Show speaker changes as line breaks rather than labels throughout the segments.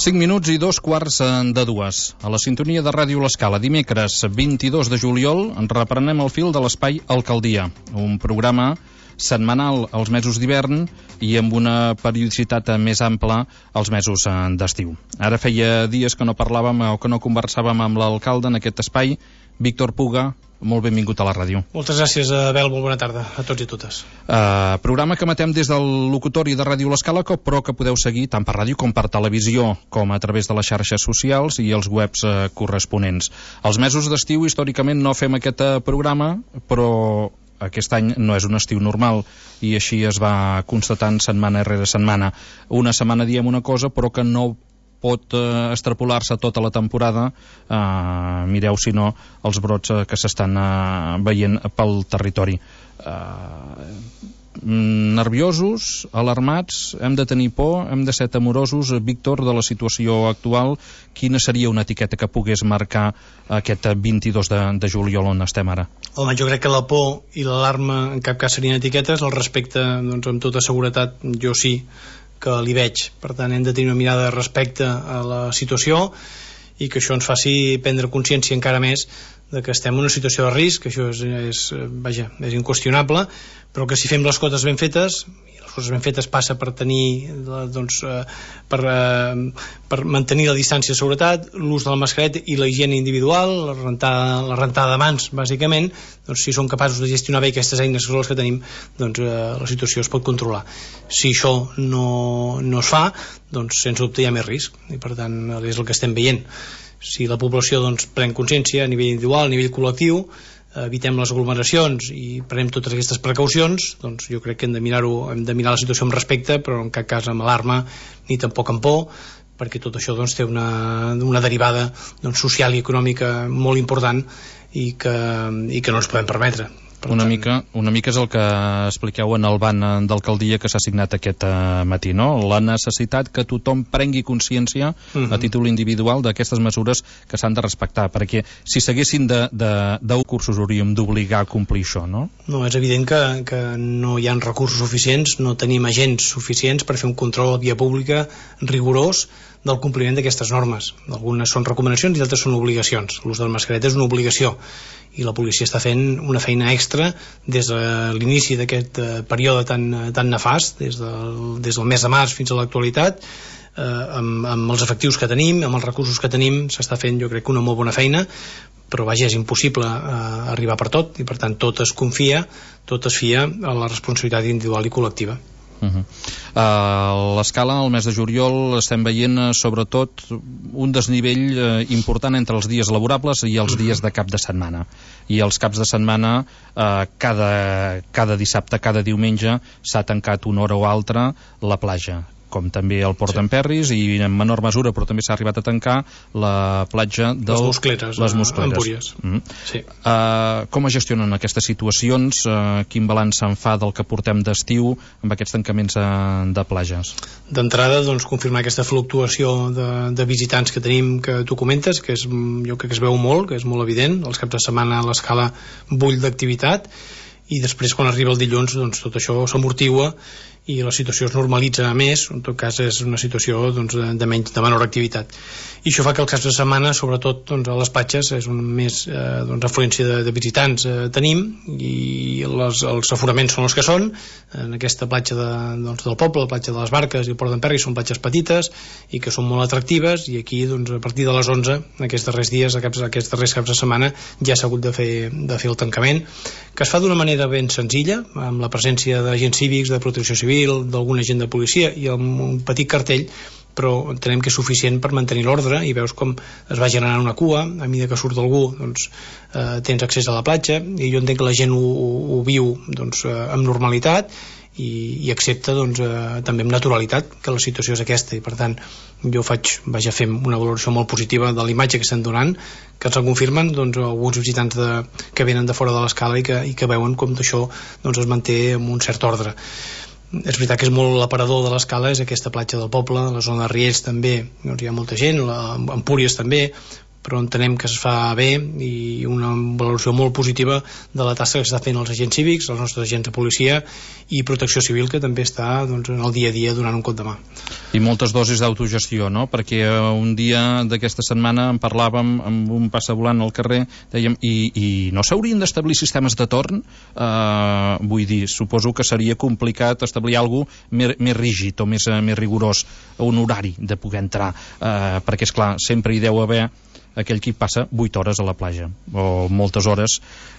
5 minuts i 2:15 a la sintonia de Ràdio L'Escala. Dimecres 22 de juliol reprenem el fil de l'Espai Alcaldia, un programa setmanal als mesos d'hivern i amb una periodicitat més ampla als mesos d'estiu. Ara feia dies que no parlàvem o que no conversàvem amb l'alcalde en aquest espai. Víctor Puga, molt benvingut a la ràdio.
Moltes gràcies, Abel, molt bona tarda a tots i totes.
Programa que emetem des del locutori de Ràdio L'Escala, però que podeu seguir tant per ràdio com per televisió, com a través de les xarxes socials i els webs corresponents. Els mesos d'estiu, històricament, no fem aquest programa, però aquest any no és un estiu normal i així es va constatant setmana rere setmana. Una setmana diem una cosa, però que no pot extrapolar-se tota la temporada. Mireu, si no, els brots que s'estan veient pel territori. Nerviosos, alarmats, hem de tenir por, hem de ser temorosos. Víctor, de la situació actual, quina seria una etiqueta que pogués marcar aquest 22 de juliol on estem ara?
Home, jo crec que la por i l'alarma en cap cas serien etiquetes. El respecte, doncs, amb tota seguretat, jo sí que li veig. Per tant, hem de tenir una mirada de respecte a la situació i que això ens faci prendre consciència encara més de que estem en una situació de risc, que això és inqüestionable, però que si fem les coses ben fetes, i les coses ben fetes passa per tenir per mantenir la distància de seguretat, l'ús de la mascareta i la higiene individual, la rentada de mans, bàsicament, doncs si som capaços de gestionar bé aquestes eines que són les que tenim, doncs la situació es pot controlar. Si això no es fa, doncs sense dubte hi ha més risc, i per tant és el que estem veient. Si la població doncs pren consciència a nivell individual, a nivell col·lectiu, evitem les aglomeracions i prenem totes aquestes precaucions, doncs jo crec que hem de mirar la situació amb respecte, però en cap cas amb alarma ni tampoc amb por, perquè tot això doncs té una derivada doncs, social i econòmica molt important i que no ens podem permetre.
Una mica és el que expliqueu en el ban d'alcaldia que s'ha signat aquest matí, no? La necessitat que tothom prengui consciència a títol individual d'aquestes mesures que s'han de respectar, perquè si s'haguessin de cursos hauríem d'obligar a complir això, no?
No, és evident que no hi ha recursos suficients, no tenim agents suficients per fer un control a via pública rigorós del compliment d'aquestes normes. Algunes són recomanacions i altres són obligacions. L'ús de la mascareta és una obligació i la policia està fent una feina extra des de l'inici d'aquest període tan nefast, des del mes de març fins a l'actualitat, amb els efectius que tenim, amb els recursos que tenim, s'està fent jo crec que una molt bona feina, però vaja, és impossible arribar per tot i per tant tot es fia a la responsabilitat individual i col·lectiva.
A l'Escala, al mes de juliol, estem veient sobretot un desnivell important entre els dies laborables i els dies de cap de setmana. I els caps de setmana, cada dissabte, cada diumenge, s'ha tancat una hora o altra la platja, com també el Port d'en Perris, i en menor mesura, però també s'ha arribat a tancar la platja de
les Muscleres, Empúries.
Sí. Com es gestionen aquestes situacions? Quin balanç se'n fa del que portem d'estiu amb aquests tancaments de platges?
D'entrada, doncs, confirmar aquesta fluctuació de visitants que tenim, que tu comentes, que jo crec que es veu molt, que és molt evident. Els caps de setmana a l'Escala bull d'activitat, i després quan arriba el dilluns doncs tot això s'amortigua i la situació es normalitza més, en tot cas és una situació doncs, de menor activitat. I això fa que els caps de setmana, sobretot doncs, a les platges, és un més afluència de visitants tenim, i els aforaments són els que són. En aquesta platja del poble, la platja de les Barques i el Port d'en Perris, són platges petites i que són molt atractives, i aquí doncs, a partir de les 11 aquests darrers dies, aquests darrers caps de setmana ja s'ha hagut de fer el tancament, que es fa d'una manera ben senzilla, amb la presència d'agents cívics, de protecció civil, d'algun agent de policia i amb un petit cartell, però entenem que és suficient per mantenir l'ordre, i veus com es va generant una cua a mesura que surt algú, doncs tens accés a la platja, i jo entenc que la gent ho viu doncs, amb normalitat i accepta doncs, també amb naturalitat que la situació és aquesta, i per tant jo fem una valoració molt positiva de la imatge que estem donant, que ens en confirmen doncs, alguns visitants que venen de fora de l'Escala i que veuen com això doncs, es manté amb un cert ordre. És veritat que és molt l'aparador de l'Escala, és aquesta platja del poble, la zona de Riells també doncs hi ha molta gent, Empúries també, però entenem que es fa bé i una valoració molt positiva de la tasca que s'està fent els agents cívics, els nostres agents de policia i protecció civil, que també està doncs, en el dia a dia donant un cop de mà.
I moltes dosis d'autogestió, no? Perquè un dia d'aquesta setmana en parlàvem amb un passavolant al carrer, dèiem, i no s'haurien d'establir sistemes de torn? Vull dir, suposo que seria complicat establir alguna cosa més rígid o més rigorós, un horari de poder entrar, perquè esclar, sempre hi deu haver aquell qui passa 8 hores a la platja o moltes hores,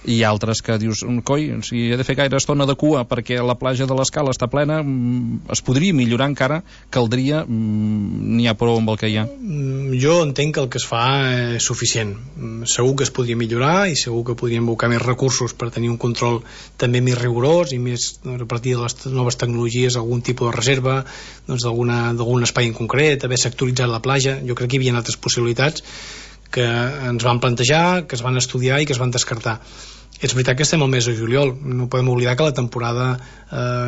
i altres que dius, coi, si he de fer gaire estona de cua perquè la platja de l'Escala està plena, es podria millorar encara, caldria, n'hi ha prou amb el que hi ha?
Jo entenc que el que es fa és suficient. Segur que es podria millorar i segur que podríem invocar més recursos per tenir un control també més rigorós i més, a partir de les noves tecnologies, algun tipus de reserva, doncs d'algun espai en concret, haver sectoritzat la platja. Jo crec que hi havia altres possibilitats que ens van plantejar, que es van estudiar i que es van descartar. És veritat que estem al mes de juliol, no podem oblidar que la temporada,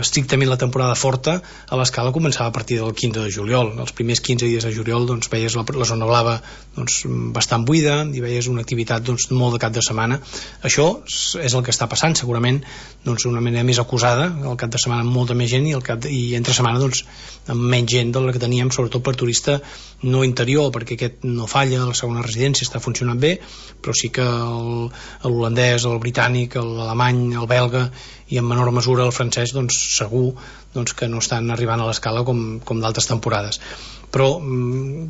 estrictament la temporada forta a l'Escala començava a partir del 15 de juliol. Els primers 15 dies de juliol doncs, veies la zona blava doncs, bastant buida i veies una activitat doncs, molt de cap de setmana. Això és el que està passant, segurament doncs, una manera més acusada, el cap de setmana amb molta més gent i entre setmana doncs, amb menys gent de la que teníem, sobretot per turista no interior, perquè aquest no falla, la segona residència està funcionant bé, però sí que l'holandès, el britànic, l'alemany, el belga i en menor mesura el francès, doncs segur doncs, que no estan arribant a l'Escala com d'altres temporades. Però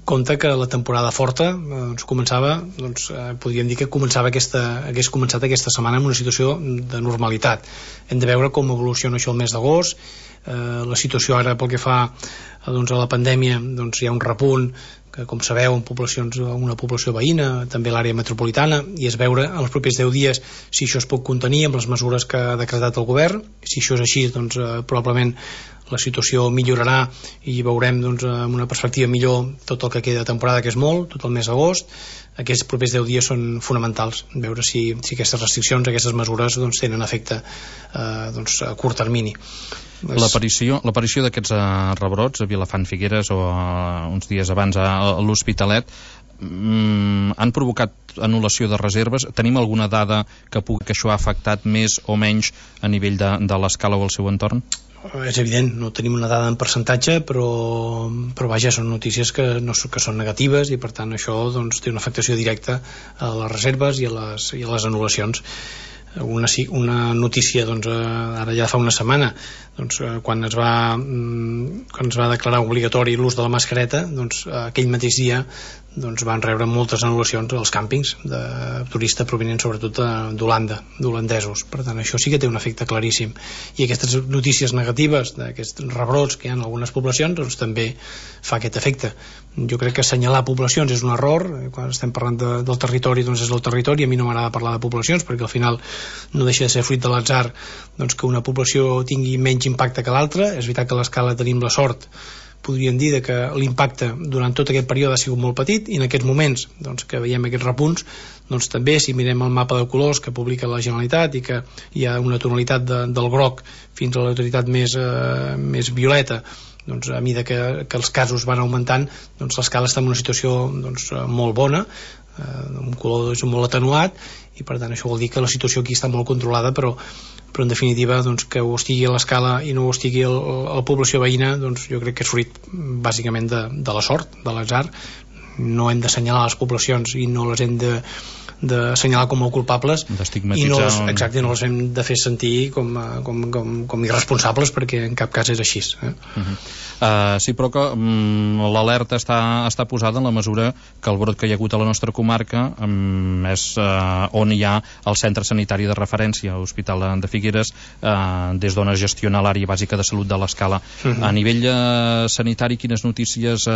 compte que la temporada forta doncs, començava, doncs, podríem dir que hagués començat aquesta setmana en una situació de normalitat. Hem de veure com evoluciona això el mes d'agost. La situació ara pel que fa doncs, a la pandèmia, doncs, hi ha un repunt que, com sabeu, una població veïna, també l'àrea metropolitana, i és veure en els propers 10 dies si això es pot contenir amb les mesures que ha decretat el govern. Si això és així, doncs probablement la situació millorarà i veurem doncs, amb una perspectiva millor tot el que queda de temporada, que és molt, tot el mes d'agost. Aquests propers 10 dies són fonamentals, veure si aquestes restriccions, aquestes mesures doncs, tenen efecte doncs, a curt termini.
L'aparició d'aquests rebrots a Vilafant Figueres o uns dies abans a l'Hospitalet han provocat anul·lació de reserves. Tenim alguna dada que això ha afectat més o menys a nivell de l'Escala o el seu entorn?
És evident, no tenim una dada en percentatge, però vaja, són notícies que són negatives i per tant això doncs, té una afectació directa a les reserves i a les anul·lacions. Una notícia doncs, ara ja fa una setmana doncs, quan es va declarar obligatori l'ús de la mascareta, doncs, aquell mateix dia doncs, van rebre moltes anul·lacions als càmpings de turistes provenents sobretot d'Holanda, d'holandesos. Per tant, això sí que té un efecte claríssim. I aquestes notícies negatives d'aquests rebrots que hi ha en algunes poblacions doncs, també fa aquest efecte. Jo crec que assenyalar poblacions és un error. Quan estem parlant del territori, doncs és el territori. A mi no m'agrada parlar de poblacions perquè al final no deixa de ser fruit de l'atzar doncs, que una població tingui menys impacte que l'altra. És veritat que a l'Escala tenim la sort, podríem dir, que l'impacte durant tot aquest període ha sigut molt petit i en aquests moments doncs, que veiem aquests repunts doncs, també si mirem el mapa de colors que publica la Generalitat i que hi ha una tonalitat del groc fins a la tonalitat més violeta, doncs, a mesura que els casos van augmentant doncs, l'Escala està en una situació doncs, molt bona, un color és molt atenuat i per tant això vol dir que la situació aquí està molt controlada, però en definitiva doncs, que ho estigui a l'Escala i no ho estigui a la població veïna, doncs jo crec que és fruit bàsicament de la sort, de l'atzar. No hem d'assenyalar les poblacions i no les hem d'assenyalar com a culpables i no les hem de fer sentir com irresponsables, perquè en cap cas és així.
Sí, però que l'alerta està posada en la mesura que el brot que hi ha hagut a la nostra comarca és on hi ha el centre sanitari de referència, l'Hospital de Figueres, des d'on es gestiona l'àrea bàsica de salut de l'Escala. A nivell sanitari, quines notícies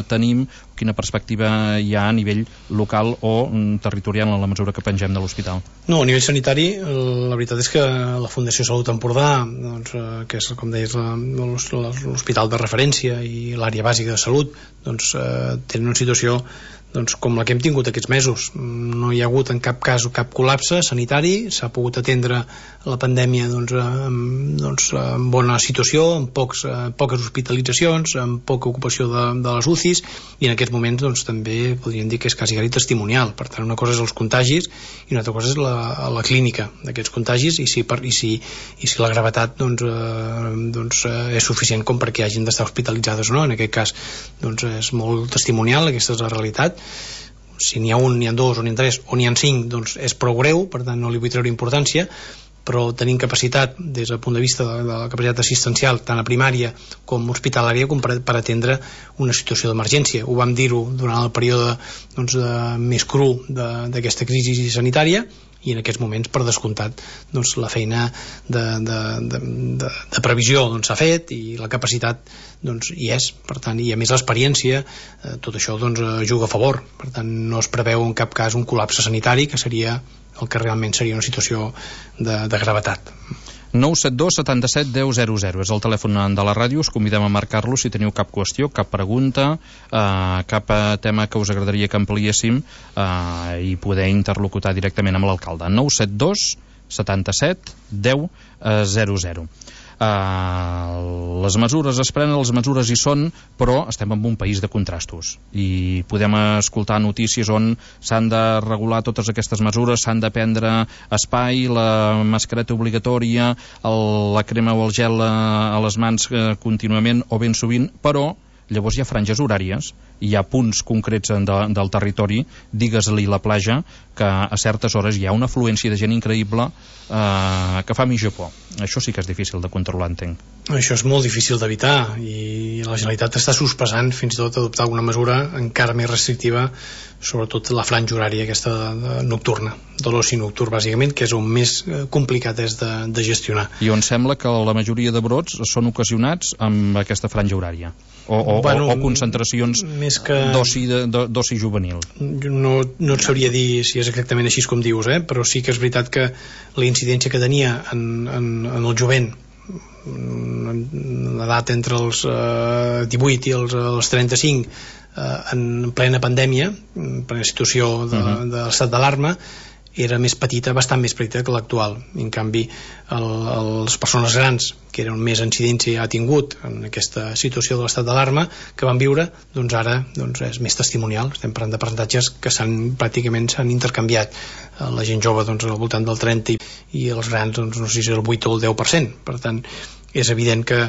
tenim? Quina perspectiva hi ha a nivell local o territorial en la mesura que pengem de l'hospital?
No, a nivell sanitari la veritat és que la Fundació Salut Empordà, doncs, que és com deies l'hospital de referència i l'àrea bàsica de salut, doncs tenen una situació doncs, com la que hem tingut aquests mesos. No hi ha hagut en cap cas cap col·lapse sanitari, s'ha pogut atendre la pandèmia en bona situació, amb poques hospitalitzacions, amb poca ocupació de les UCIs, i en aquests moments també podríem dir que és quasi testimonial. Per tant, una cosa és els contagis i una altra cosa és la clínica d'aquests contagis, i si la gravetat és suficient com perquè hagin d'estar hospitalitzades o no. En aquest cas és molt testimonial, aquesta és la realitat. Si n'hi ha un, n'hi ha dos, o n'hi ha tres, o n'hi ha 5, doncs és prou greu, per tant no li vull treure importància, però tenim capacitat des del punt de vista de la capacitat assistencial tant a primària com hospitalària com per atendre una situació d'emergència. Ho vam dir-ho durant el període més cru d'aquesta crisi sanitària, i en aquests moments, per descomptat, la feina de previsió s'ha fet, i la capacitat hi és, per tant, i a més l'experiència, tot això juga a favor. Per tant, no es preveu en cap cas un col·lapse sanitari, que seria el que realment seria una situació de gravetat.
972 77 10 00 és el telèfon de la ràdio. Us convidem a marcar-lo si teniu cap qüestió, cap pregunta, cap tema que us agradaria que ampliéssim, i poder interlocutar directament amb l'alcalde. 972 77 10 00. Les mesures es prenen, les mesures hi són, però estem en un país de contrastos i podem escoltar notícies on s'han de regular totes aquestes mesures, s'han de prendre espai, la mascareta obligatòria, la crema o el gel a les mans contínuament o ben sovint, però llavors hi ha franges horàries, hi ha punts concrets del territori, digues-li la platja, que a certes hores hi ha una afluència de gent increïble que fa mitja por. Això sí que és difícil de controlar, entenc.
Això és molt difícil d'evitar, i la Generalitat està sospesant fins i tot adoptar alguna mesura encara més restrictiva, sobretot la franja horària aquesta nocturna, de l'oci nocturn bàsicament, que és on més complicat és de gestionar.
I on sembla que la majoria de brots són ocasionats amb aquesta franja horària o concentracions d'oci juvenil.
No et sabria dir si és exactament així com dius, però sí que és veritat que la incidència que tenia en el jovent, en l'edat entre els 18 i els 35, en plena pandèmia, en plena situació de l'estat d'alarma, era més petita, bastant més petita que l'actual. En canvi, les persones grans, que eren més incidència ha tingut en aquesta situació de l'estat d'alarma que van viure, ara és més testimonial. Estem parlant de percentatges que pràcticament s'han intercanviat. La gent jove al voltant del 30% i els grans no sé si és el 8 o el 10%. Per tant, és evident que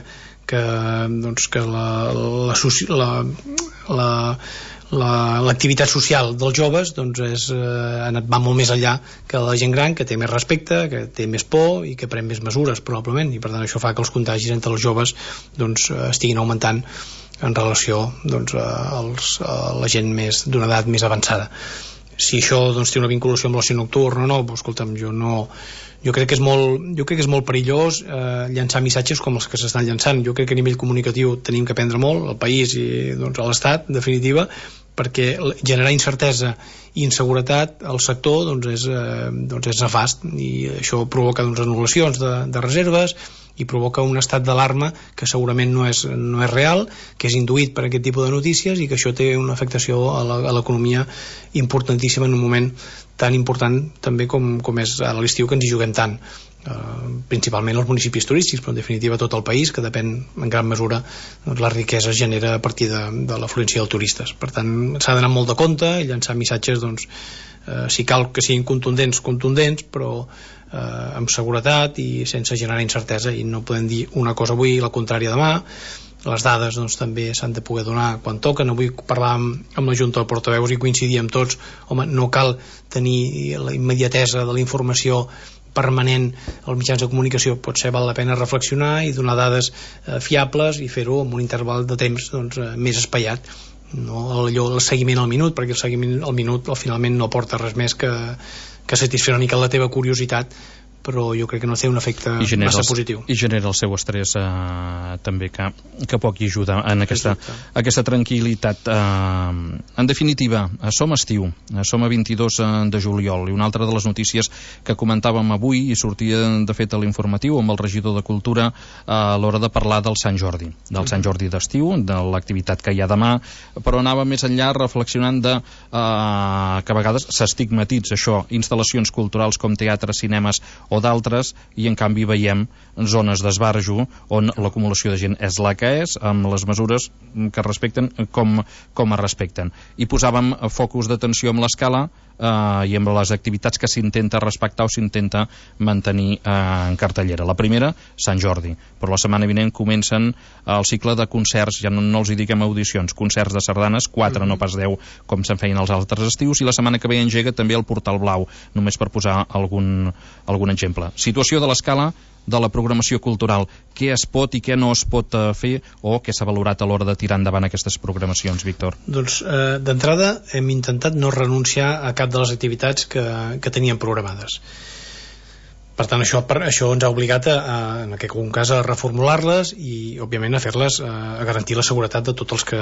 l'activitat social dels joves va molt més enllà que la gent gran, que té més respecte, que té més por i que pren més mesures probablement, i per tant això fa que els contagis entre els joves estiguin augmentant en relació a la gent d'una edat més avançada. Si això té una vinculació amb l'oci nocturn o no, escolta'm, jo crec que és molt perillós llançar missatges com els que s'estan llançant. Jo crec que a nivell comunicatiu tenim que aprendre molt, el país i a l'Estat, en definitiva, perquè generar incertesa i inseguretat al sector és nefast, i això provoca anul·lacions de reserves i provoca un estat d'alarma que segurament no és real, que és induït per aquest tipus de notícies, i que això té una afectació a l'economia importantíssima en un moment tan important també com és a l'estiu, que ens hi juguem tant, principalment els municipis turístics, però en definitiva tot el país, que depèn en gran mesura, la riquesa es genera a partir de l'afluència dels turistes. Per tant, s'ha d'anar molt de compte i llançar missatges, si cal que siguin contundents, però amb seguretat i sense generar incertesa, i no podem dir una cosa avui i la contrària demà. Les dades també s'han de poder donar quan toquen. Avui parlar amb la Junta de Portaveus i coincidir amb tots, no cal tenir la immediatesa de la informació permanent als mitjans de comunicació, potser val la pena reflexionar i donar dades fiables i fer-ho amb un interval de temps més espaiat, no el seguiment al minut, perquè el seguiment al minut finalment no aporta res més que satisfer una mica la teva curiositat però jo crec que no té un efecte massa positiu.
I genera el seu estrès també, que poc hi ajuda en aquesta tranquil·litat. En definitiva, som estiu, som a 22 de juliol, i una altra de les notícies que comentàvem avui, i sortia de fet a l'informatiu amb el regidor de Cultura a l'hora de parlar del Sant Jordi, Sant Jordi d'estiu, de l'activitat que hi ha demà, però anava més enllà reflexionant que a vegades s'estigmatitza això, instal·lacions culturals com teatres, cinemes o d'altres, i en canvi veiem zones d'esbarjo on l'acumulació de gent és la que és, amb les mesures que respecten com es respecten. I posàvem focus d'atenció amb l'escala i amb les activitats que s'intenta respectar o s'intenta mantenir en cartellera. La primera, Sant Jordi, però la setmana vinent comencen el cicle de concerts, ja no els hi diguem audicions, concerts de sardanes, 4, no pas 10 com se'n feien els altres estius, i la setmana que ve engega també el Portal Blau, només per posar algun exemple. Situació de l'escala de la programació cultural, què es pot i què no es pot fer, o què s'ha valorat a l'hora de tirar endavant aquestes programacions, Víctor?
Doncs d'entrada hem intentat no renunciar a cap de les activitats que teníem programades. Per tant, això ens ha obligat en aquest cas a reformular-les i òbviament a fer-les, a garantir la seguretat de tots els que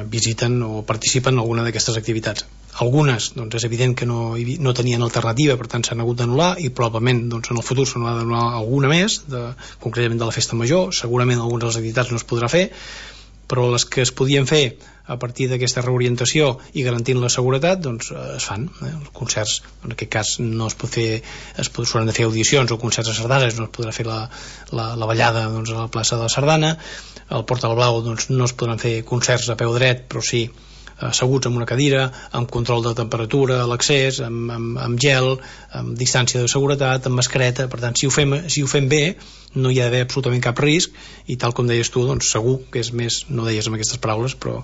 visiten o participen en alguna d'aquestes activitats. Algunes, és evident que no tenien alternativa, per tant s'han hagut d'anul·lar, i probablement en el futur se n'ha d'anul·lar alguna més, concretament de la festa major. Segurament algunes de les activitats no es podrà fer, però les que es podien fer a partir d'aquesta reorientació i garantint la seguretat, es fan. Els concerts, en aquest cas no es pot fer, s'hauran de fer audicions o concerts de sardanes, no es podrà fer la ballada a la plaça de la Sardana. Al Portal Blau no es podran fer concerts a peu dret, però sí asseguts en una cadira, amb control de temperatura a l'accés, amb gel, amb distància de seguretat, amb mascareta. Per tant, si ho fem bé, no hi ha d'haver absolutament cap risc, i tal com deies tu, segur que és més, no deies amb aquestes paraules, però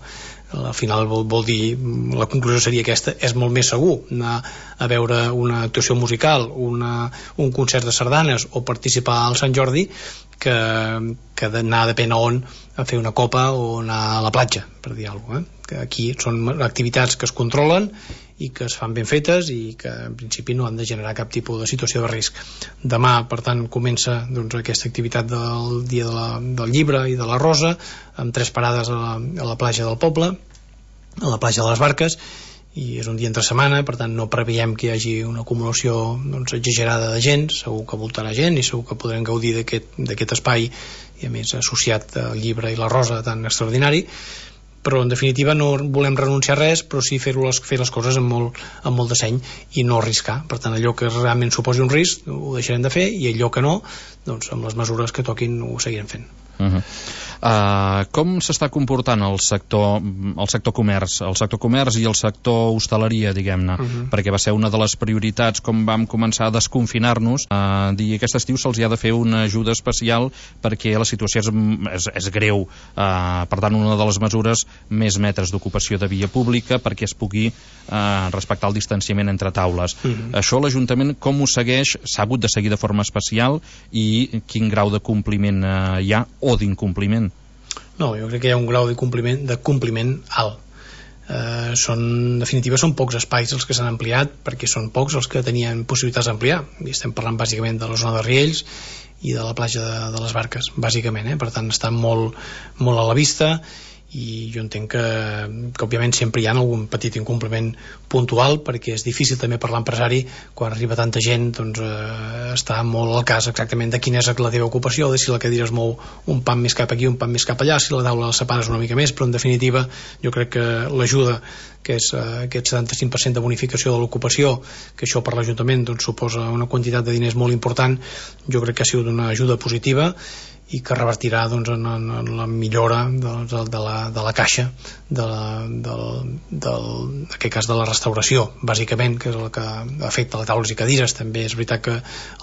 al final vol dir, la conclusió seria aquesta, és molt més segur anar a veure una actuació musical, un concert de sardanes o participar al Sant Jordi que d'anar depèn a on a fer una copa o anar a la platja, per dir alguna cosa. Que aquí són activitats que es controlen i que es fan ben fetes i que en principi no han de generar cap tipus de situació de risc. Demà, per tant, comença aquesta activitat del dia del llibre i de la rosa, amb 3 parades a la platja del poble, a la platja de les Barques, i és un dia entre setmana, per tant no preveiem que hi hagi una acumulació exagerada de gent. Segur que voltarà gent i segur que podrem gaudir d'aquest espai, i a més associat al llibre i la rosa tan extraordinari. Però en definitiva no volem renunciar a res, però sí fer les coses amb molt de seny i no arriscar. Per tant, allò que realment suposi un risc ho deixarem de fer, i allò que no, amb les mesures que toquin ho seguirem fent.
Com s'està comportant el sector comerç i el sector hostaleria, diguem-ne, perquè va ser una de les prioritats com vam començar a desconfinar-nos, dir aquest estiu se'ls hi ha de fer una ajuda especial perquè la situació és greu, per tant una de les mesures, més metres d'ocupació de via pública perquè es pugui respectar el distanciament entre taules. Això l'Ajuntament com ho segueix? S'ha hagut de seguir de forma especial, i quin grau de compliment hi ha o d'incompliment?
No, jo crec que hi ha un grau de compliment alt. En definitiva són pocs espais els que s'han ampliat, perquè són pocs els que tenien possibilitats d'ampliar, i estem parlant bàsicament de la zona de Riells i de la platja de les Barques, bàsicament, per tant està molt a la vista, i jo entenc que òbviament sempre hi ha algun petit incompliment puntual, perquè és difícil també per l'empresari, quan arriba tanta gent, està molt al cas exactament de quina és la teva ocupació, de si la cadira es mou un pam més cap aquí, un pam més cap allà, si la taula la separes una mica més. Però en definitiva jo crec que l'ajuda, que és aquest 75% de bonificació de l'ocupació, que això per l'Ajuntament suposa una quantitat de diners molt important, jo crec que ha sigut una ajuda positiva i que revertirà en la millora de la caixa en aquest cas de la restauració, bàsicament, que és el que afecta les taules i cadires. També és veritat que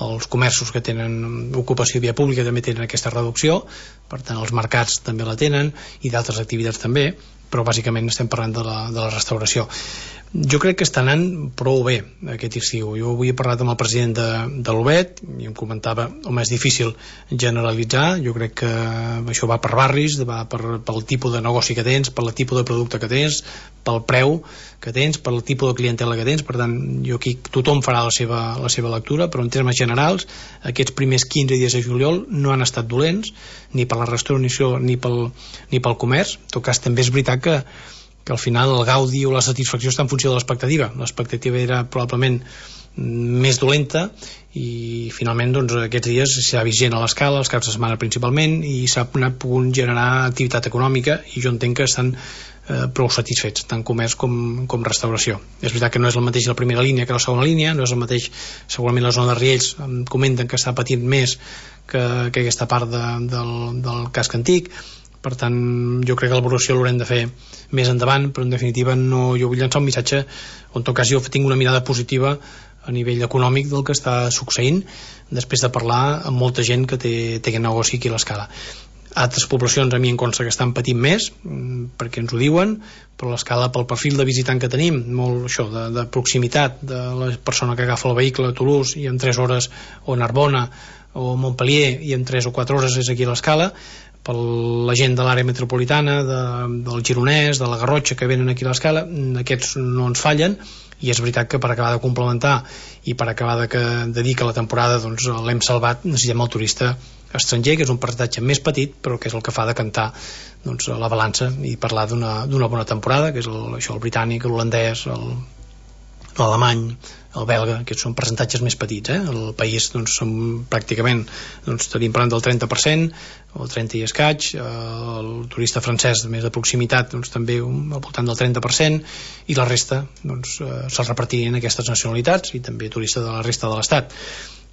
els comerços que tenen ocupació via pública també tenen aquesta reducció, per tant els mercats també la tenen, i d'altres activitats també, però bàsicament estem parlant de la restauració. Jo crec que està anant prou bé aquest estiu. Jo avui he parlat amb el president de l'UBET i em comentava, home, és difícil generalitzar, jo crec que això va per barris, va pel tipus de negoci que tens, pel tipus de producte que tens, pel preu que tens, pel tipus de clientela que tens. Per tant, jo aquí tothom farà la seva lectura, però en termes generals aquests primers 15 dies de juliol no han estat dolents, ni per la restauració ni pel comerç. En tot cas, també és veritat que al final el gaudi o la satisfacció està en funció de l'expectativa. L'expectativa era probablement més dolenta i finalment doncs, aquests dies s'ha vist gent a l'escala, els caps de setmana principalment, i s'ha pogut generar activitat econòmica, i jo entenc que estan prou satisfets, tant comerç com restauració. És veritat que no és el mateix la primera línia que la segona línia, no és el mateix, segurament la zona de Riells em comenten que està patint més que aquesta part del casc antic. Per tant, jo crec que l'evolució l'haurem de fer més endavant, però en definitiva jo vull llançar un missatge on en tot cas jo tinc una mirada positiva a nivell econòmic del que està succeint, després de parlar amb molta gent que té aquest negoci aquí a l'escala. Altres poblacions a mi em consta que estan patint més, perquè ens ho diuen, però l'escala, pel perfil de visitant que tenim, molt això, de proximitat, de la persona que agafa el vehicle a Toulouse i en 3 hores, o Narbona o Montpellier i en 3 o 4 hores és aquí a l'escala, per la gent de l'àrea metropolitana, del Gironès, de la Garrotxa, que venen aquí a l'escala, aquests no ens fallen, i és veritat que per acabar de complementar i per acabar de dir que la temporada doncs, l'hem salvat, necessitem el turista estranger, que és un percentatge més petit, però que és el que fa de cantar doncs, la balança i parlar d'una bona temporada, que és el britànic, l'holandès, l'alemany, el belga, que són percentatges més petits. El país doncs, som pràcticament tenim parlant del 30%, o 30 i escaig, el turista francès més de proximitat doncs, també al voltant del 30%, i la resta doncs, se'ls repartirien aquestes nacionalitats, i també turista de la resta de l'estat.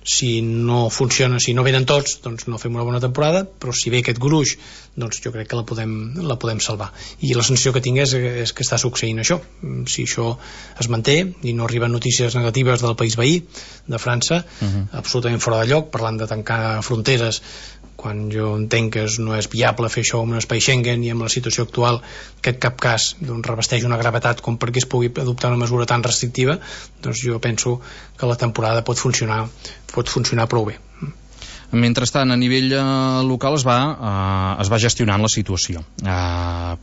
Si no funciona, si no venen tots, doncs no fem una bona temporada, però si ve aquest gruix, doncs jo crec que la podem salvar. I la sensació que tinc és que està succeint això. Si això es manté i no arriben notícies negatives del país veí, de França, absolutament fora de lloc, parlant de tancar fronteres, quan jo entenc que no és viable fer això en un espai Schengen, i amb la situació actual que en cap cas doncs, revesteix una gravetat com perquè es pugui adoptar una mesura tan restrictiva, doncs jo penso que la temporada pot funcionar prou bé.
Mentrestant, a nivell local es va gestionant la situació,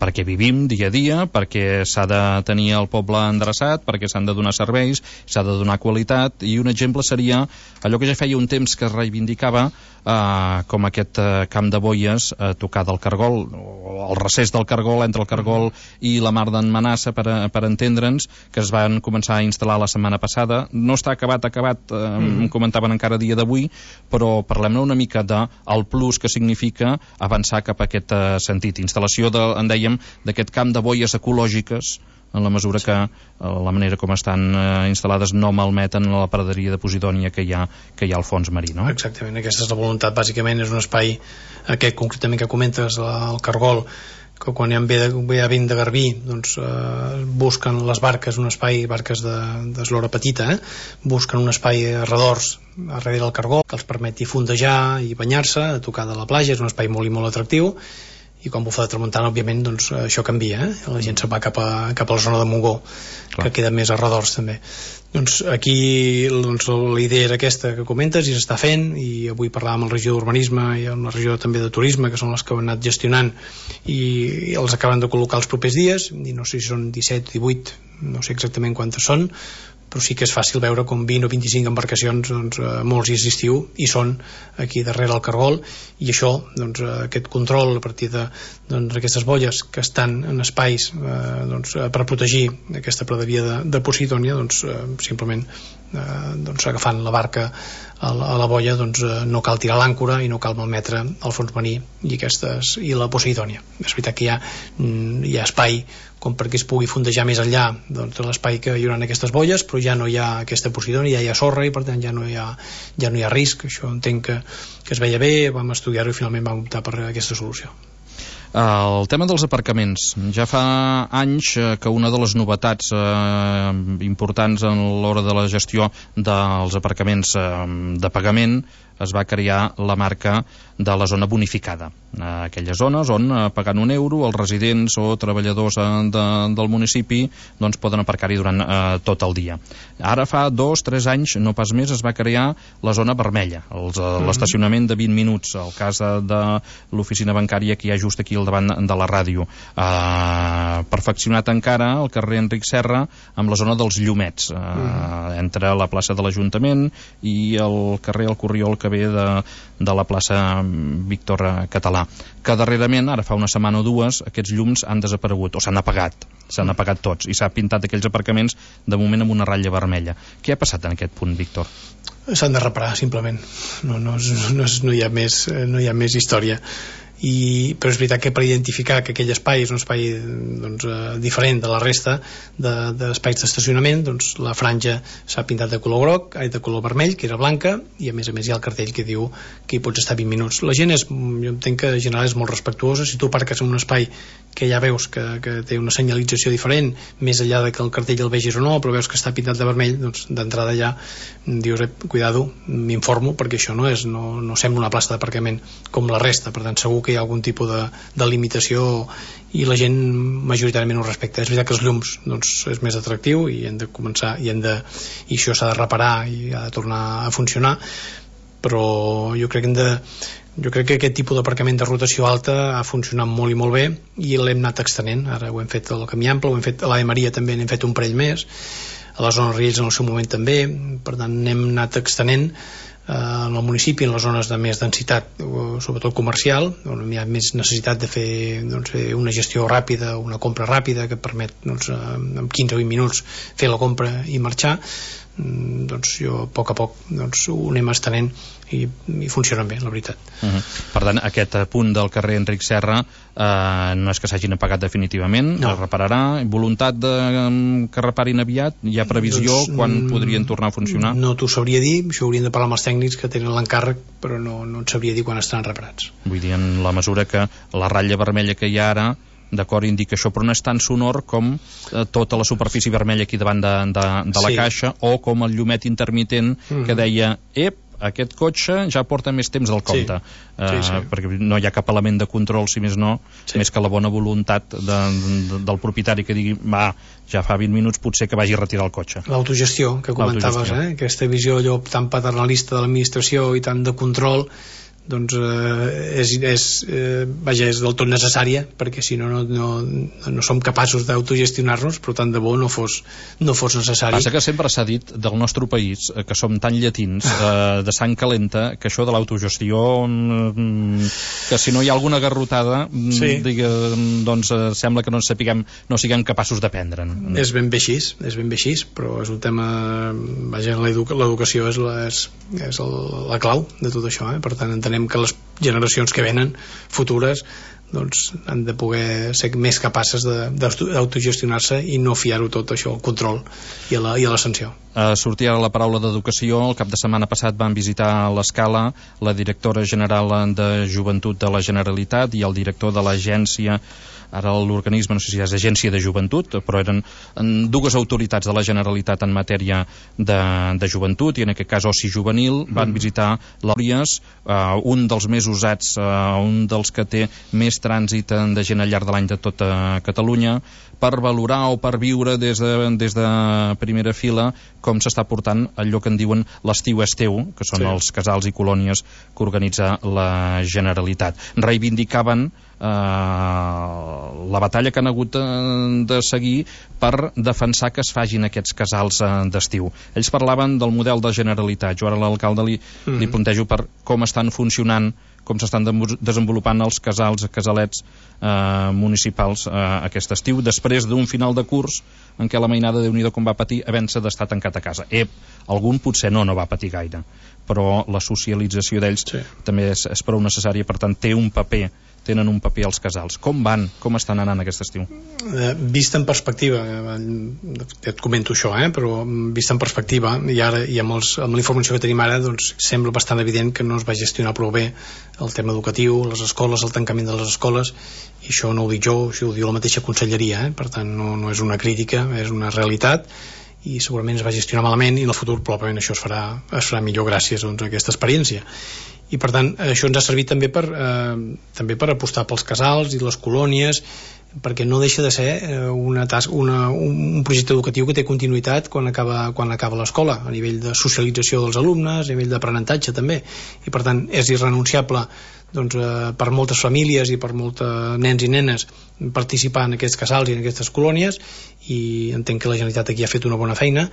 perquè vivim dia a dia, perquè s'ha de tenir el poble endreçat, perquè s'han de donar serveis, s'ha de donar qualitat, i un exemple seria allò que ja feia un temps que es reivindicava, com aquest camp de boies a tocar del Cargol, o el recés del Cargol, entre el Cargol i la Mar d'en Manassa, per entendre'ns, que es van començar a instal·lar la setmana passada. No està acabat, em comentaven encara a dia d'avui, però parlem una mica del plus que significa avançar cap a aquest sentit. Instal·lació, en dèiem, d'aquest camp de boies ecològiques, en la mesura que la manera com estan instal·lades no malmeten la praderia de Posidònia que hi ha al fons marí, no?
Exactament, aquesta és la voluntat. Bàsicament és un espai, aquest concretament que comentes, el Cargol, que quan ve a vent de Garbí doncs, busquen les barques, un espai, barques d'eslora petita, busquen un espai a redors, darrere del Cargol, que els permeti fondejar i banyar-se, a tocar de la platja. És un espai molt i molt atractiu, i quan bufa de tramuntana, òbviament, doncs, això canvia, la gent se'n va cap a la zona de Montgó, que queda més a redors també. Doncs aquí doncs, la idea era aquesta que comentes, i s'està fent, i avui parlàvem amb la regió d'urbanisme i amb la regió també de turisme, que són les que han anat gestionant, i els acaben de col·locar els propers dies, i no sé si són 17 o 18, no sé exactament quantes són, però sí que és fàcil veure com 20 o 25 embarcacions, doncs, molts dies d'estiu, i són aquí darrere el Cargol, i això, doncs, aquest control a partir d'aquestes boies que estan en espais doncs, per protegir aquesta praderia de Posidònia, doncs, simplement doncs, agafant la barca a la boia, doncs, no cal tirar l'àncora i no cal malmetre el fons marí i la Posidònia. És veritat que hi ha espai com perquè es pugui fondejar més enllà doncs, de l'espai que hi haurà en aquestes boies, però ja no hi ha aquesta Posidònia, ja hi ha sorra, i per tant ja no hi ha risc. Això entenc que es veia bé, vam estudiar-ho i finalment vam optar per aquesta solució.
El tema dels aparcaments. Ja fa anys que una de les novetats importants a l'hora de la gestió dels aparcaments de pagament es va crear la marca de la zona bonificada. Aquelles zones on, pagant €1, els residents o treballadors del municipi doncs poden aparcar-hi durant tot el dia. Ara fa 2-3 anys, no pas més, es va crear la zona vermella, l'estacionament de 20 minuts, el cas de l'oficina bancària que hi ha just aquí al davant de la ràdio. Perfeccionat encara el carrer Enric Serra amb la zona dels llumets, entre la plaça de l'Ajuntament i el carrer El Corriol que ve de la plaça Víctor Català, que darrerament, ara fa una setmana o dues, aquests llums han desaparegut o s'han apagat tots i s'ha pintat aquells aparcaments de moment amb una ratlla vermella. Què ha passat en aquest punt, Víctor?
S'han de reparar, simplement. No hi ha més història. Però és veritat que per identificar que aquell espai és un espai diferent de la resta d'espais d'estacionament, doncs la franja s'ha pintat de color de color vermell, que era blanca, i a més hi ha el cartell que diu que hi pots estar 20 minuts. La gent jo entenc que en general és molt respectuosa. Si tu aparques en un espai que ja veus que té una senyalització diferent, més enllà de que el cartell el vegis o no, però veus que està pintat de vermell, doncs d'entrada ja dius, cuidado, m'informo, perquè això no sembla una plaça d'aparcament com la resta. Per tant, segur que hi ha algun tipus de limitació i la gent majoritàriament ho respecta. És veritat que els llums és més atractiu i hem de començar i això s'ha de reparar i ha de tornar a funcionar, però jo crec que aquest tipus d'aparcament de rotació alta ha funcionat molt i molt bé i l'hem anat extenent. Ara ho hem fet al Camí Ample, ho hem fet a l'Ave Maria, també n'hem fet un parell més, a la zona Riells en el seu moment també. Per tant, n'hem anat extenent en el municipi, en les zones de més densitat, sobretot comercial, on hi ha més necessitat de fer una gestió ràpida, una compra ràpida que permet en 15 o 20 minuts fer la compra i marxar. Jo a poc ho anem estenent i funcionen bé, la veritat.
Per tant, aquest punt del carrer Enric Serra no és que s'hagin apagat definitivament, es repararà. Voluntat que reparin aviat? Hi ha previsió quan podrien tornar a funcionar?
No t'ho sabria dir, això haurien de parlar amb els tècnics que tenen l'encàrrec, però no et sabria dir quan estaran reparats.
Vull dir, en la mesura que la ratlla vermella que hi ha ara, d'acord, indica això, però no és tan sonor com tota la superfície vermella aquí davant de la caixa, o com el llumet intermitent que deia, aquest cotxe ja porta més temps del compte. Perquè no hi ha cap element de control, si més no, més que la bona voluntat del propietari que digui, ja fa 20 minuts, potser que vagi a retirar el cotxe.
L'autogestió que comentaves, aquesta visió allò tan paternalista de l'administració i tant de control, doncs és del tot necessària, perquè si no som capaços d'autogestionar-nos, però tant de bo no fos necessari.
Passa que sempre s'ha dit del nostre país que som tan llatins, de sang calenta, que això de l'autogestió, que si no hi ha alguna garrotada, doncs sembla que no siguem capaços de prendre'n.
És ben bé així, però és un tema, l'educació és la clau de tot això, per tant entenem que les generacions que venen futures doncs han de poder ser més capaces d'autogestionar-se i no fiar-ho tot això al control i a la sanció.
Sortia la paraula d'educació. El cap de setmana passat van visitar l'Escala la directora general de Joventut de la Generalitat i el director de l'agència, ara l'organisme no sé si és Agència de Joventut, però eren dues autoritats de la Generalitat en matèria de joventut, i en aquest cas oci juvenil. Van visitar l'Òries, un dels més usats, un dels que té més trànsit de gent al llarg de l'any de tota Catalunya, per valorar o per viure des de primera fila com s'està portant allò que en diuen l'estiu és teu, que són els casals i colònies que organitza la Generalitat. Reivindicaven la batalla que han hagut de seguir per defensar que es fagin aquests casals d'estiu. Ells parlaven del model de Generalitat. Jo ara a l'alcalde li plantejo per com estan funcionant, com s'estan desenvolupant els casalets municipals aquest estiu, després d'un final de curs en què la mainada, Déu-n'hi-do com va patir havent-se d'estar tancat a casa. Algun potser no va patir gaire, però la socialització d'ells també és prou necessària, per tant tenen un paper als casals. Com estan anant aquest estiu?
Vist en perspectiva, et comento això, però vist en perspectiva, i ara i amb la informació que tenim ara, doncs sembla bastant evident que no es va gestionar prou bé el tema educatiu, les escoles, el tancament de les escoles, i això no ho dic jo, això ho diu la mateixa conselleria, per tant no és una crítica, és una realitat, i segurament es va gestionar malament, i en el futur probablement això es farà millor gràcies a aquesta experiència. I per tant això ens ha servit també per apostar pels casals i les colònies, perquè no deixa de ser un projecte educatiu que té continuïtat quan acaba l'escola, a nivell de socialització dels alumnes, a nivell d'aprenentatge també, i per tant és irrenunciable per moltes famílies i per molts nens i nenes participar en aquests casals i en aquestes colònies, i entenc que la Generalitat aquí ha fet una bona feina,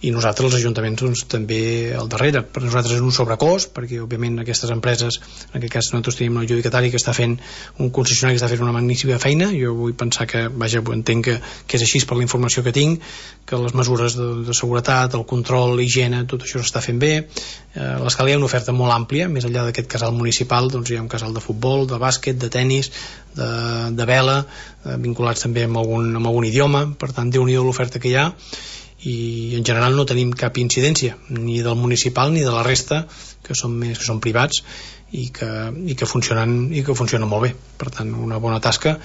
i nosaltres els ajuntaments també al darrere. Per nosaltres és un sobrecost, perquè òbviament aquestes empreses, en aquest cas nosaltres tenim un adjudicatari que està fent, un concessionari que està fent una magnífica feina. Jo vull pensar que, entenc que és així per la informació que tinc, que les mesures de seguretat, el control, l'higiene, tot això s'està fent bé. A l'Escala hi ha una oferta molt àmplia, més enllà d'aquest casal municipal hi ha un casal de futbol, de bàsquet, de tennis, de vela, vinculats també amb algun idioma. Per tant, Déu-n'hi-do l'oferta que hi ha, i en general no tenim cap incidència ni del municipal ni de la resta, que són privats i que funcionen molt bé. Per tant, una bona tasca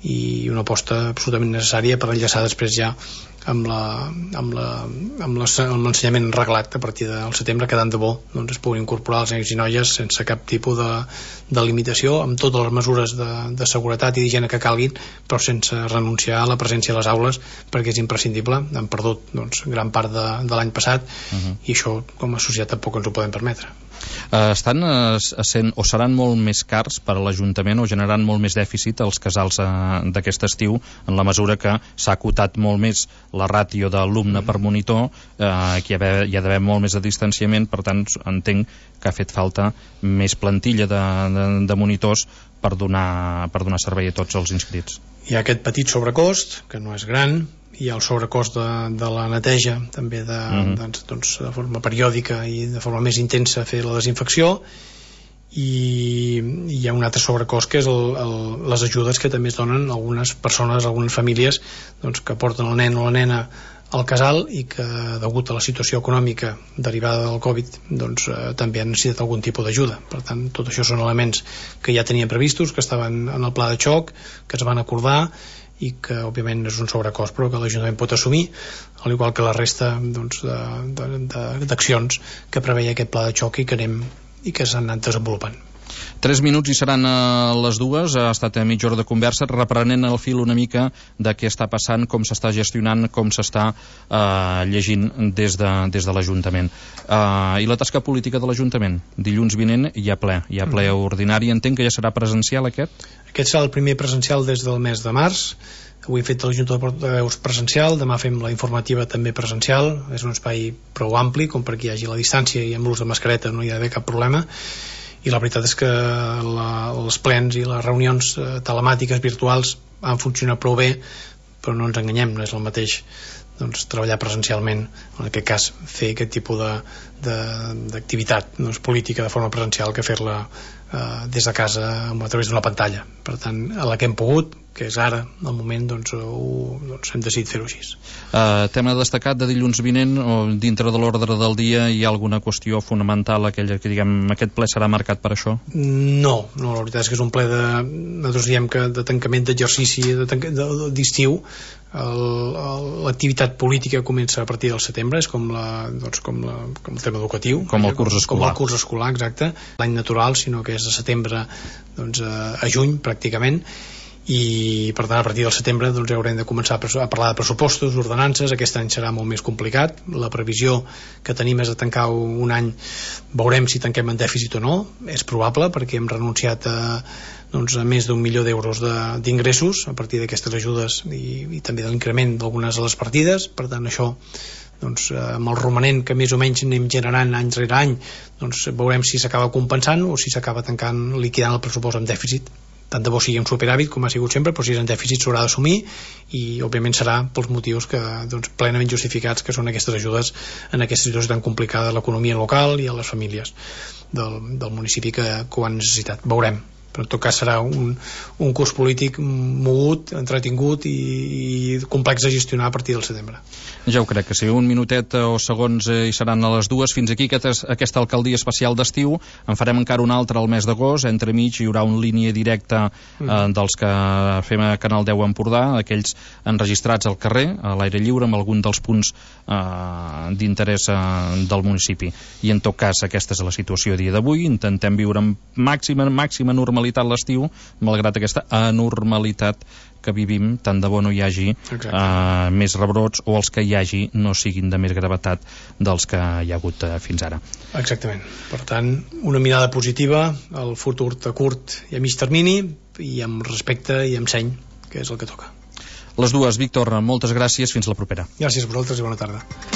i una aposta absolutament necessària per enllaçar després ja amb l'ensenyament reglat a partir del setembre, que tant de bo es puguin incorporar els nens i noies sense cap tipus de limitació, amb totes les mesures de seguretat i d'higiene que calguin, però sense renunciar a la presència a les aules, perquè és imprescindible. Hem perdut gran part de l'any passat, i això com a societat tampoc ens ho podem permetre.
Estan sent o seran molt més cars per a l'Ajuntament, o generaran molt més dèficit els casals d'aquest estiu, en la mesura que s'ha acotat molt més la ràtio d'alumne per monitor, que hi ha d'haver molt més de distanciament. Per tant, entenc que ha fet falta més plantilla de monitors per donar servei a tots els inscrits.
Hi ha aquest petit sobrecost, que no és gran. Hi ha el sobrecost de la neteja, també de forma periòdica i de forma més intensa fer la desinfecció, i hi ha un altre sobrecost que és les ajudes que també es donen a algunes persones, a algunes famílies que porten el nen o la nena al casal i que, degut a la situació econòmica derivada del Covid, també han necessitat algun tipus d'ajuda. Per tant, tot això són elements que ja tenien previstos, que estaven en el pla de xoc, que es van acordar, i que òbviament és un sobrecost però que l'Ajuntament pot assumir, al igual que la resta d'accions que preveia aquest pla de xoc i que s'han anat desenvolupant.
3 minuts i seran les 2. Ha estat mitja hora de conversa, reprenent el fil una mica de què està passant, com s'està gestionant, com s'està llegint des de l'Ajuntament. I la tasca política de l'Ajuntament? Dilluns vinent hi ha ple ordinari. Entenc que ja serà presencial aquest?
Aquest serà el primer presencial des del mes de març. Avui hem fet la Junta de Portaveus presencial, demà fem la informativa també presencial. És un espai prou ampli com perquè hi hagi la distància, i amb l'ús de mascareta no hi ha d'haver cap problema. I la veritat és que els plens i les reunions telemàtiques virtuals han funcionat prou bé, però no ens enganyem, no és el mateix treballar presencialment, en aquest cas fer aquest tipus d'activitat política de forma presencial, que fer-la des de casa a través d'una pantalla. Per tant, a la que hem pogut, que és ara, al moment, hem decidit fer-ho així.
Tema destacat de dilluns vinent, o dintre de l'ordre del dia, hi ha alguna qüestió fonamental, aquella que diguem, aquest ple serà marcat per això?
No, la veritat és que és un ple nosaltres diem que de tancament d'exercici d'estiu. L'activitat política comença a partir del setembre, és com el tema educatiu,
com el curs
escolar, exacte, l'any natural, sinó que és de setembre a juny pràcticament. I per tant a partir del setembre haurem de començar a parlar de pressupostos, ordenances. Aquest any serà molt més complicat. La previsió que tenim és de tancar un any, veurem si tanquem en dèficit o no, és probable, perquè hem renunciat a més d'1 milió d'euros d'ingressos a partir d'aquestes ajudes i també de l'increment d'algunes de les partides. Per tant, això amb el romanent que més o menys anem generant any rere any, veurem si s'acaba compensant o si s'acaba liquidant el pressupost amb dèficit. Tant de bo sigui un superàvit, com ha sigut sempre, però si és en dèficit s'haurà d'assumir, i òbviament serà pels motius plenament justificats, que són aquestes ajudes en aquesta situació tan complicada a l'economia local i a les famílies del municipi que ho han necessitat. Veurem. però en tot cas serà un curs polític mogut, entretingut i complex de gestionar a partir del setembre.
Ja ho crec, que si un minutet o segons hi seran a les 2. Fins aquí aquesta alcaldia especial d'estiu. En farem encara una altra al mes d'agost. Entremig hi haurà una línia directa dels que fem a Canal 10 Empordà, aquells enregistrats al carrer, a l'aire lliure, amb algun dels punts d'interès del municipi. I en tot cas, aquesta és la situació a dia d'avui. Intentem viure amb màxima normalitat l'estiu, malgrat aquesta anormalitat que vivim. Tant de bo no hi hagi més rebrots, o els que hi hagi no siguin de més gravetat dels que hi ha hagut fins ara.
Exactament. Per tant, una mirada positiva al futur a curt i a mig termini, i amb respecte i amb seny, que és el que toca.
Les 2, Víctor, moltes gràcies, fins la propera.
Gràcies a vosaltres i bona tarda.